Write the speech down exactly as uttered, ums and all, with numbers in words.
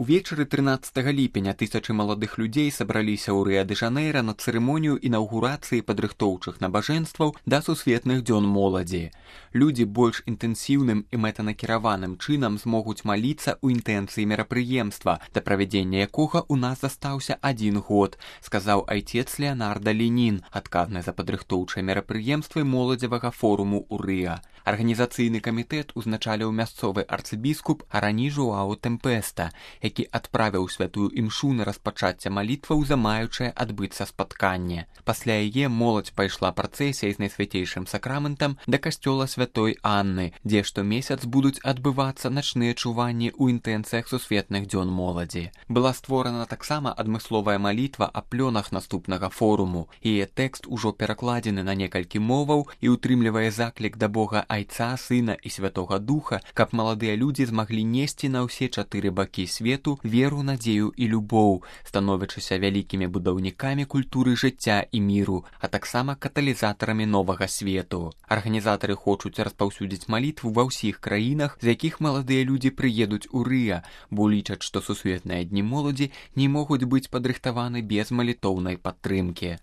Увечары трынаццатага ліпеня тысячы маладых людзей сабраліся ў Рыа-дэ-Жанэйра на цырымонію інаўгурацыі падрыхтоўчых набажэнстваў да сусветных дзён моладзі. Людзі больш інтэнсіўным і мэтанакіраваным чынам змогуць маліцца ў інтэнцыі мерапрыемства, да правядзення якога ў нас застаўся адзін год, сказаў айцец Леанарда Ленін, адказны за падрыхтоўчыя мерапрыемствы моладзевага форуму ў Рыа. Арганізацыйны камітэт узначаліў мясцовы арцыбіскуп Арані Жоау Тэмпеста, які адправіў святую імшу на распачацце малітваў за маючае адбыцца спатканне. Пасля яе моладзь пайшла працэсіяй з найсвяцейшым сакраментам да касцёла святой Анны, дзе штомесяц будуць адбывацца начныя чуванні ў інтэнцыях сусветных дзён моладзі. Была створана таксама адмысловая малітва аб плёнах наступнага форуму. Яе тэкст ужо перакладзены на некалькі моваў і ўтрымлівае заклік да Бога Айца, Сына і Святога Духа, каб маладыя людзі змаглі несці на ўсе чатыры бакі свету веру, надзею і любоў, становячыся вялікімі будаўнікамі культуры жыцця і міру, а таксама каталізатарамі новага свету. Арганізатары хочуць распаўсюдзіць малітву ва ўсіх краінах, з якіх маладыя людзі прыедуць у Рыа, бо лічаць, што сусветныя дні моладзі не могуць быць падрыхтаваны без малітоўнай падтрымкі.